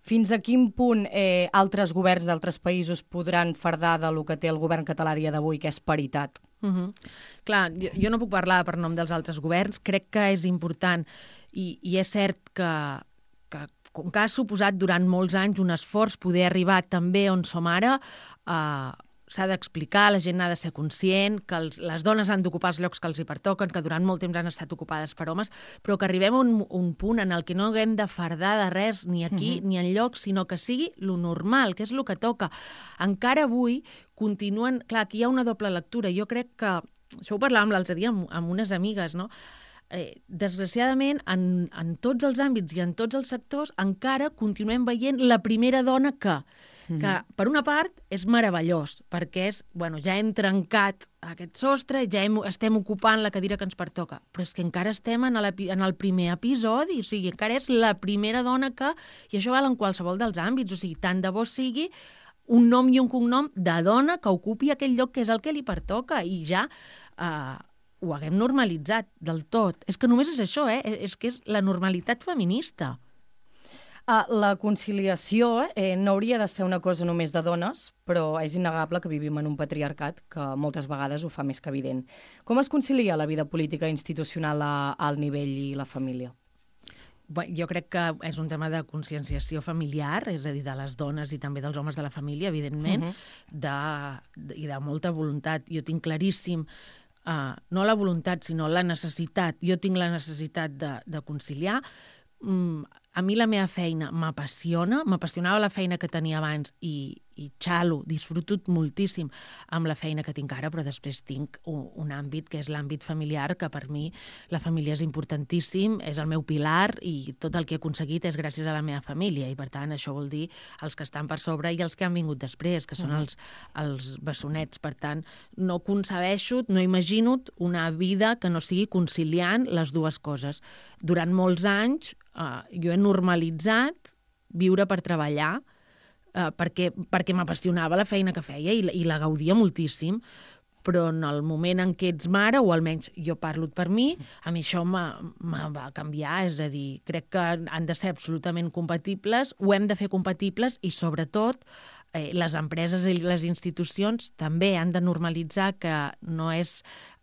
fins a quin punt eh, altres governs d'altres països podran fardar de lo que té el govern català a dia d'avui, que és paritat? Uh-huh. Clar, jo, jo no puc parlar per nom dels altres governs, crec que és important i, i és cert que, que com que ha suposat durant molts anys un esforç poder arribar també on som ara, eh, s'ha d'explicar, la gent ha de ser conscient, que els, les dones han d'ocupar els llocs que els hi pertoquen, que durant molt temps han estat ocupades per homes, però que arribem a un, un punt en el que no haguem de fardar de res ni aquí uh-huh. ni enlloc, sinó que sigui lo normal, que és el que toca. Encara avui continuen... Clar, aquí hi ha una doble lectura. Jo crec que... Això ho parlàvem l'altre dia amb, amb unes amigues, no? eh, desgraciadament, en, en tots els àmbits i en tots els sectors encara continuem veient la primera dona que... que, per una part, és meravellós, perquè és, bueno, ja hem trencat aquest sostre, ja hem, estem ocupant la cadira que ens pertoca, però és que encara estem en, la, en el primer episodi, o sigui, encara és la primera dona que... I això val en qualsevol dels àmbits, o sigui, tant de bo sigui un nom i un cognom de dona que ocupi aquell lloc que és el que li pertoca, i ja eh, ho haguem normalitzat del tot. És que només és això, eh? És que és la normalitat feminista. Uh, la conciliació eh, no hauria de ser una cosa només de dones, però és innegable que vivim en un patriarcat que moltes vegades ho fa més que evident. Com es concilia la vida política i institucional a, al nivell i la família? Bé, jo crec que és un tema de conscienciació familiar, és a dir, de les dones i també dels homes de la família, evidentment, uh-huh. de, de, i de molta voluntat. Jo tinc claríssim, uh, no la voluntat, sinó la necessitat. Jo tinc la necessitat de, de conciliar. Mm, a mi la meva feina m'apassiona, m'apassionava la feina que tenia abans i, i xalo, disfruto moltíssim amb la feina que tinc ara, però després tinc un, un àmbit que és l'àmbit familiar, que per mi la família és importantíssim, és el meu pilar i tot el que he aconseguit és gràcies a la meva família i per tant això vol dir els que estan per sobre i els que han vingut després, que són els, els bessonets. Per tant, no concebeixo, no imagino una vida que no sigui conciliant les dues coses. Durant molts anys Uh, jo he normalitzat viure per treballar uh, perquè, perquè m'apassionava la feina que feia i, i la gaudia moltíssim, però en el moment en què ets mare, o almenys jo parlo per mi, a mi això me va canviar, és a dir, crec que han de ser absolutament compatibles, ho hem de fer compatibles i sobretot eh, les empreses i les institucions també han de normalitzar que no és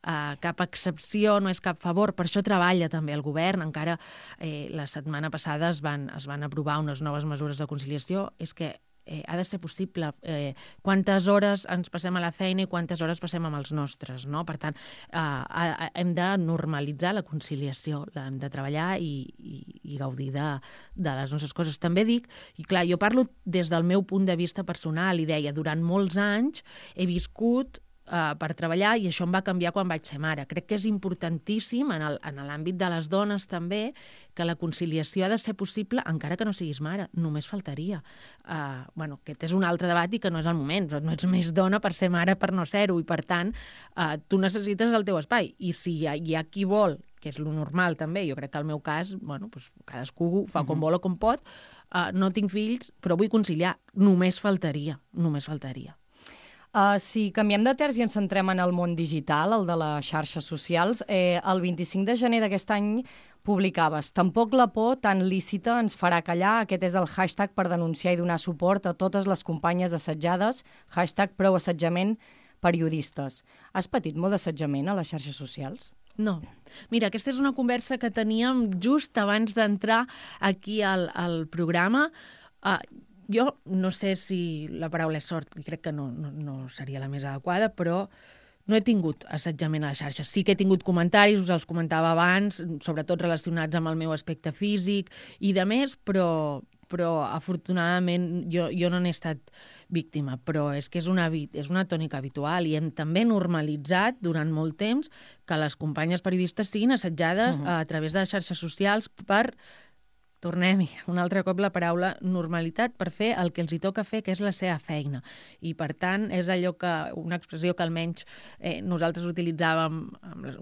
Uh, cap excepció, no és cap favor. Per això treballa també el govern. Encara eh, la setmana passada es van, es van aprovar unes noves mesures de conciliació. És que eh, ha de ser possible. Eh, quantes hores ens passem a la feina i quantes hores passem amb els nostres, no? Per tant, eh, hem de normalitzar la conciliació, hem de treballar i, i, i gaudir de, de les nostres coses. També dic, i clar, jo parlo des del meu punt de vista personal i deia, durant molts anys he viscut Uh, per treballar i això em va canviar quan vaig ser mare. Crec que és importantíssim en l'àmbit de les dones també que la conciliació ha de ser possible encara que no siguis mare, només faltaria. Uh, bueno, aquest és un altre debat i que no és el moment, no ets més dona per ser mare per no ser-ho i per tant uh, tu necessites el teu espai i si hi ha, hi ha qui vol, que és lo normal també, jo crec que el meu cas, bueno, doncs cadascú fa com vol o com pot, uh, no tinc fills però vull conciliar, només faltaria, només faltaria. Uh, si canviem de terç i ens centrem en el món digital, el de les xarxes socials, eh, el vint-i-cinc de gener d'aquest any publicaves «Tampoc la por tan lícita ens farà callar». Aquest és el hashtag per denunciar i donar suport a totes les companyes assetjades, hashtag prou assetjament periodistes. Has patit molt d'assetjament a les xarxes socials? No. Mira, aquesta és una conversa que teníem just abans d'entrar aquí al, al programa. Uh, Jo no sé si la paraula és sort, i crec que no, no, no seria la més adequada, però no he tingut assetjament a les xarxes. Sí que he tingut comentaris, us els comentava abans, sobretot relacionats amb el meu aspecte físic i de més, però, però afortunadament jo, jo no n'he estat víctima. Però és que és una, és una tònica habitual i hem també normalitzat durant molt temps que les companyes periodistes siguin assetjades uh-huh. a través de les xarxes socials per... Tornem-hi, un altre cop la paraula normalitat per fer el que els hi toca fer, que és la seva feina. I, per tant, és allò que, una expressió que almenys eh, nosaltres utilitzàvem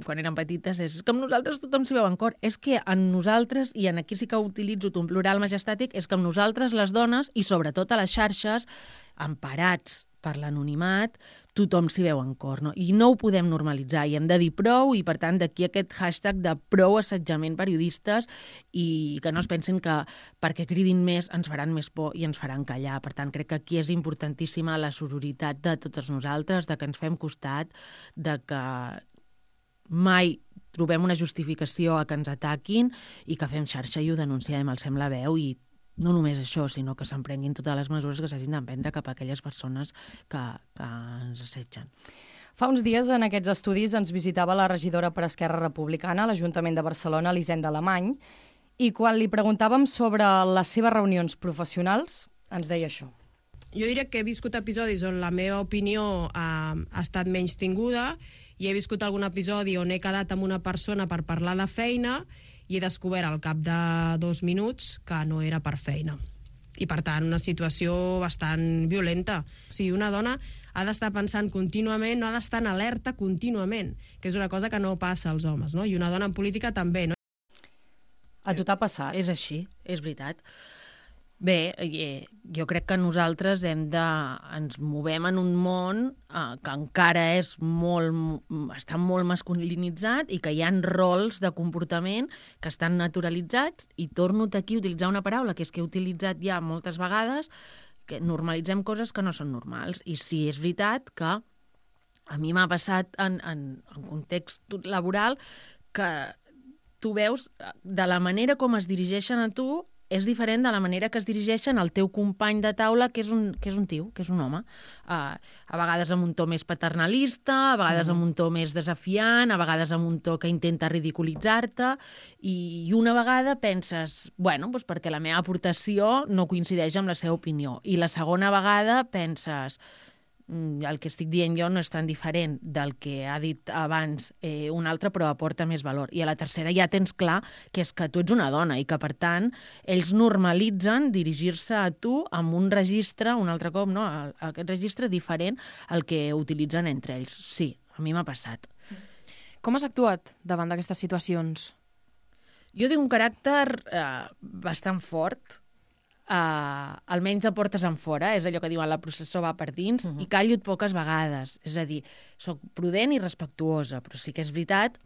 quan érem petites, és que amb nosaltres tothom s'hi veu en cor. És que en nosaltres, i en aquí sí que utilitzo un plural majestàtic, és que amb nosaltres, les dones, i sobretot a les xarxes, emparats per l'anonimat, tothom s'hi veu en cor, no? I no ho podem normalitzar, i hem de dir prou, i per tant d'aquí aquest hashtag de prou assetjament periodistes i que no es pensin que perquè cridin més ens faran més por i ens faran callar. Per tant, crec que aquí és importantíssima la sororitat de totes nosaltres, de que ens fem costat, de que mai trobem una justificació a que ens ataquin i que fem xarxa i ho denunciem, alcem la veu i no només això, sinó que s'emprenguin totes les mesures que s'hagin d'emprendre cap a aquelles persones que, que ens assetgen. Fa uns dies en aquests estudis ens visitava la regidora per Esquerra Republicana a l'Ajuntament de Barcelona, Elisenda Alemany, i quan li preguntàvem sobre les seves reunions professionals, ens deia això. Jo diria que he viscut episodis on la meva opinió ha, ha estat menys tinguda i he viscut algun episodi on he quedat amb una persona per parlar de feina i he descobert al cap de dos minuts que no era per feina. I, per tant, una situació bastant violenta. O sigui, una dona ha d'estar pensant contínuament, no ha d'estar en alerta contínuament, que és una cosa que no passa als homes, no? I una dona en política també, no? A tu t'ha passat? És així, és veritat. Bé, jo crec que nosaltres hem de... ens movem en un món eh, que encara és molt, està molt masculinitzat i que hi ha rols de comportament que estan naturalitzats, i torno aquí a utilitzar una paraula que és que he utilitzat ja moltes vegades, que normalitzem coses que no són normals. I sí, és veritat que a mi m'ha passat en, en, en context laboral que tu veus de la manera com es dirigeixen a tu és diferent de la manera que es dirigeixen al teu company de taula, que és un, que és un tio, que és un home. Uh, a vegades amb un to més paternalista, a vegades amb un to més desafiant, a vegades amb un to que intenta ridiculitzar-te, i, i una vegada penses, bueno, doncs perquè la meva aportació no coincideix amb la seva opinió. I la segona vegada penses, el que estic dient jo no és tan diferent del que ha dit abans eh, un altre, però aporta més valor. I a la tercera ja tens clar que és que tu ets una dona i que, per tant, ells normalitzen dirigir-se a tu amb un registre, un altre cop, no? Aquest registre diferent al que utilitzen entre ells. Sí, a mi m'ha passat. Com has actuat davant d'aquestes situacions? Jo tinc un caràcter eh, bastant fort, Uh, almenys de portes en fora, és allò que diuen la processó va per dins, uh-huh. i callo poques vegades, és a dir, soc prudent i respectuosa, però sí que és veritat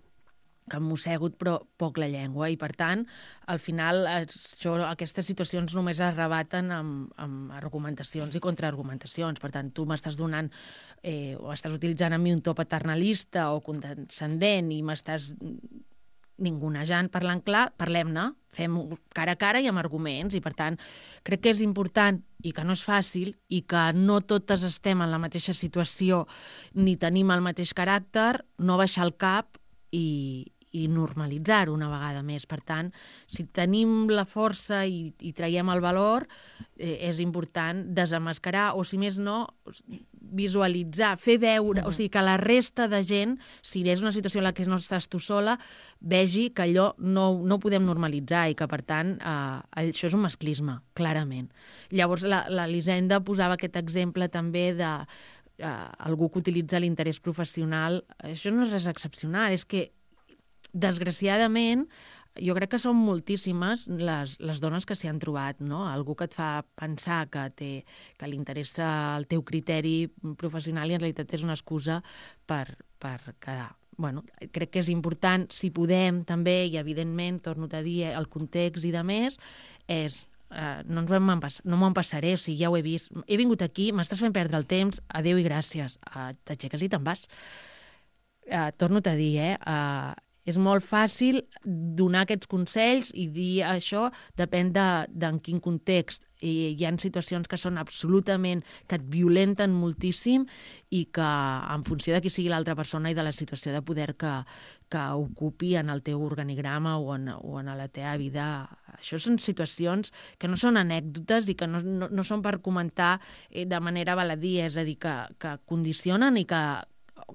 que em mossego però poc la llengua, i per tant, al final això, aquestes situacions només es rebaten amb, amb argumentacions i contraargumentacions. Per tant, tu m'estàs donant eh, o estàs utilitzant a mi un to paternalista o condescendent i m'estàs ningunejant, parlant clar, parlem-ne, fem cara a cara i amb arguments, i per tant crec que és important i que no és fàcil i que no totes estem en la mateixa situació ni tenim el mateix caràcter, no baixar el cap i, i normalitzar-ho una vegada més. Per tant, si tenim la força i, i traiem el valor, eh, és important desemmascarar, o si més no, visualitzar, fer veure, o sigui, que la resta de gent, si és una situació en la que no estàs tu sola, vegi que allò no, no ho podem normalitzar i que, per tant, eh, això és un masclisme, clarament. Llavors, l'Elisenda posava aquest exemple també de eh, algú que utilitza l'interès professional. Això no és res excepcional, és que, desgraciadament, jo crec que són moltíssimes les, les dones que s'hi han trobat, no? Algú que et fa pensar que, té, que li interessa el teu criteri professional i en realitat és una excusa per, per quedar. Bueno, crec que és important, si podem també, i evidentment, torno a dir, el context i de més, és Uh, no, ens ho pas, no m'ho passaré, o sigui, ja ho he vist. He vingut aquí, m'estàs fent perdre el temps, adéu i gràcies. Uh, T'aixeques i te'n vas. Uh, torno a dir, eh? Uh, és molt fàcil donar aquests consells i dir això depèn de, de en quin context. I hi ha situacions que són absolutament, que et violenten moltíssim i que en funció de qui sigui l'altra persona i de la situació de poder que, que ocupi en el teu organigrama o en, o en la teva vida, això són situacions que no són anècdotes i que no, no, no són per comentar de manera baladí, és a dir, que, que condicionen i que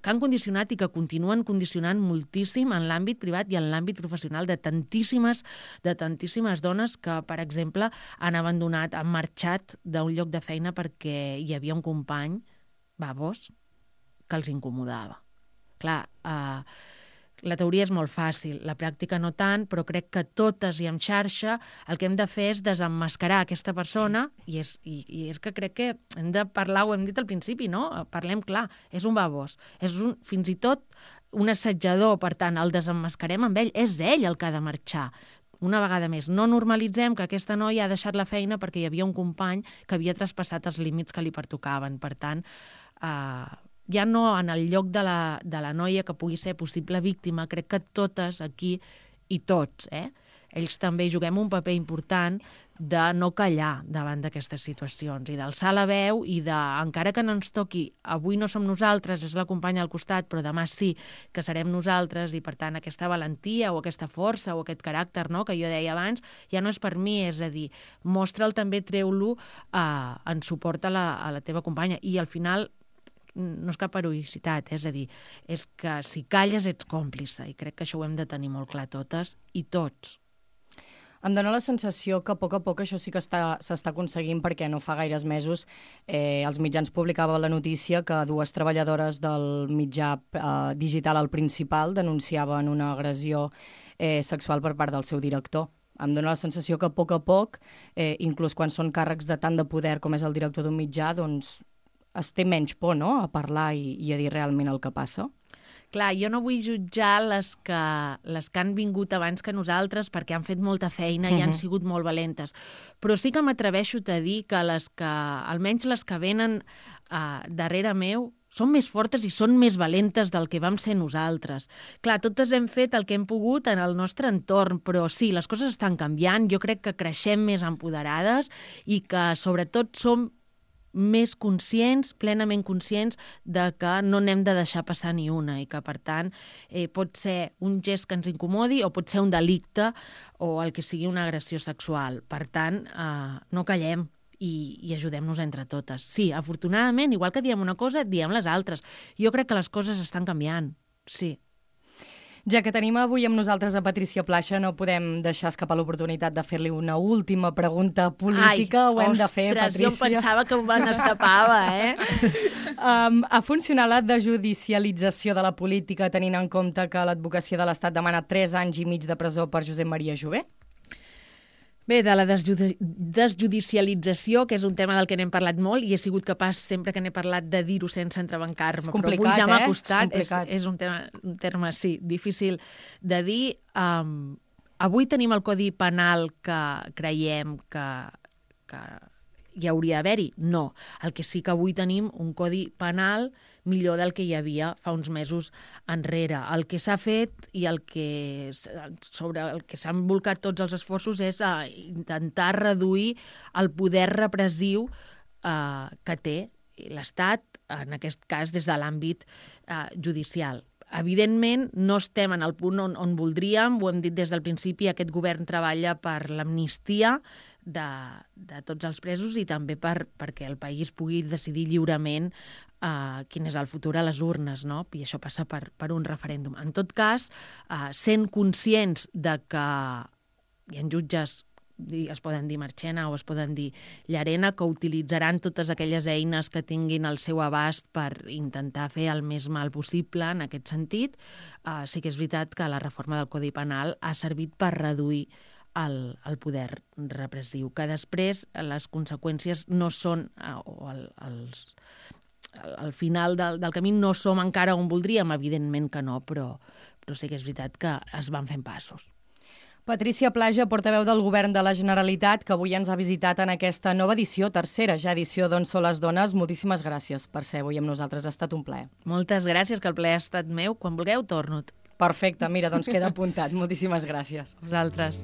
que han condicionat i que continuen condicionant moltíssim en l'àmbit privat i en l'àmbit professional de tantíssimes, de tantíssimes dones que, per exemple, han abandonat, han marxat d'un lloc de feina perquè hi havia un company, babós, que els incomodava. Clar, eh, la teoria és molt fàcil, la pràctica no tant, però crec que totes i en xarxa el que hem de fer és desemmascarar aquesta persona i és, i, i és que crec que hem de parlar, ho hem dit al principi, no? Parlem clar, és un babós, és un, fins i tot un assetjador, per tant, el desemmascarem amb ell, és ell el que ha de marxar. Una vegada més, no normalitzem que aquesta noia ha deixat la feina perquè hi havia un company que havia traspassat els límits que li pertocaven. Per tant, eh, ja no en el lloc de la, de la noia que pugui ser possible víctima, crec que totes aquí i tots, eh? Ells també juguem un paper important de no callar davant d'aquestes situacions i d'alçar la veu i de, encara que no ens toqui, avui no som nosaltres, és la companya al costat, però demà sí que serem nosaltres i, per tant, aquesta valentia o aquesta força o aquest caràcter, no?, que jo deia abans, ja no és per mi, és a dir, mostra'l també, treu-lo eh, en suport a la, a la teva companya. I al final no és cap heroïcitat, és a dir, és que si calles ets còmplice, i crec que això ho hem de tenir molt clar totes i tots. Em dóna la sensació que a poc a poc això sí que s'està aconseguint, perquè no fa gaires mesos eh, els mitjans publicaven la notícia que dues treballadores del mitjà eh, digital al Principal denunciaven una agressió eh, sexual per part del seu director. Em dóna la sensació que a poc a poc, eh, inclús quan són càrrecs de tant de poder com és el director d'un mitjà, doncs es té menys por, no?, a parlar i, i a dir realment el que passa. Clar, jo no vull jutjar les que, les que han vingut abans que nosaltres perquè han fet molta feina i uh-huh. han sigut molt valentes. Però sí que m'atreveixo a dir que les que, almenys les que venen uh, darrere meu, són més fortes i són més valentes del que vam ser nosaltres. Clar, totes hem fet el que hem pogut en el nostre entorn, però sí, les coses estan canviant. Jo crec que creixem més empoderades i que, sobretot, som més conscients, plenament conscients de que no n'hem de deixar passar ni una i que, per tant, eh, pot ser un gest que ens incomodi o pot ser un delicte o el que sigui una agressió sexual. Per tant, eh, no callem i, i ajudem-nos entre totes. Sí, afortunadament, igual que diem una cosa, diem les altres. Jo crec que les coses estan canviant, sí. Ja que tenim avui amb nosaltres a Patrícia Plaja, no podem deixar escapar l'oportunitat de fer-li una última pregunta política. Ai, Ho hem ostres, de fer, Patrícia. jo em pensava que me n'estapava, eh? um, ha funcionat la desjudicialització de la política tenint en compte que l'advocacia de l'Estat demana tres anys i mig de presó per Josep Maria Jové? Bé, de la desjudi- desjudicialització, que és un tema del que n'hem parlat molt, i he sigut capaç, sempre que n'he parlat, de dir-ho sense entrebancar-me. És complicat, però avui ja m'ha eh? costat. És, és, és un, tema, un terme, sí, difícil de dir. Um, avui tenim el Codi Penal que creiem que, que hi hauria d'haver-hi? No. El que sí que avui tenim un Codi Penal millor del que hi havia fa uns mesos enrere. El que s'ha fet i el que, sobre el que s'han volcat tots els esforços és a intentar reduir el poder repressiu eh, que té l'Estat, en aquest cas des de l'àmbit eh, judicial. Evidentment, no estem en el punt on, on voldríem, ho hem dit des del principi, aquest govern treballa per l'amnistia de, de tots els presos i també per, perquè el país pugui decidir lliurement uh, quin és el futur a les urnes, no? I això passa per, per un referèndum. En tot cas, uh, sent conscients de que hi ha jutges, es poden dir Marchena o es poden dir Llarena, que utilitzaran totes aquelles eines que tinguin al seu abast per intentar fer el més mal possible en aquest sentit, uh, sí que és veritat que la reforma del Codi Penal ha servit per reduir el, el poder repressiu, que després les conseqüències no són, o el, els, al final del, del camí no som encara on voldríem, evidentment que no, però, però sí que és veritat que es van fent passos. Patrícia Plaja, portaveu del Govern de la Generalitat, que avui ens ha visitat en aquesta nova edició, tercera ja edició d'On són les dones. Moltíssimes gràcies per ser avui amb nosaltres, ha estat un plaer. Moltes gràcies, que el plaer ha estat meu. Quan vulgueu, torno. Perfecte, mira, doncs queda apuntat. Moltíssimes gràcies. Vosaltres.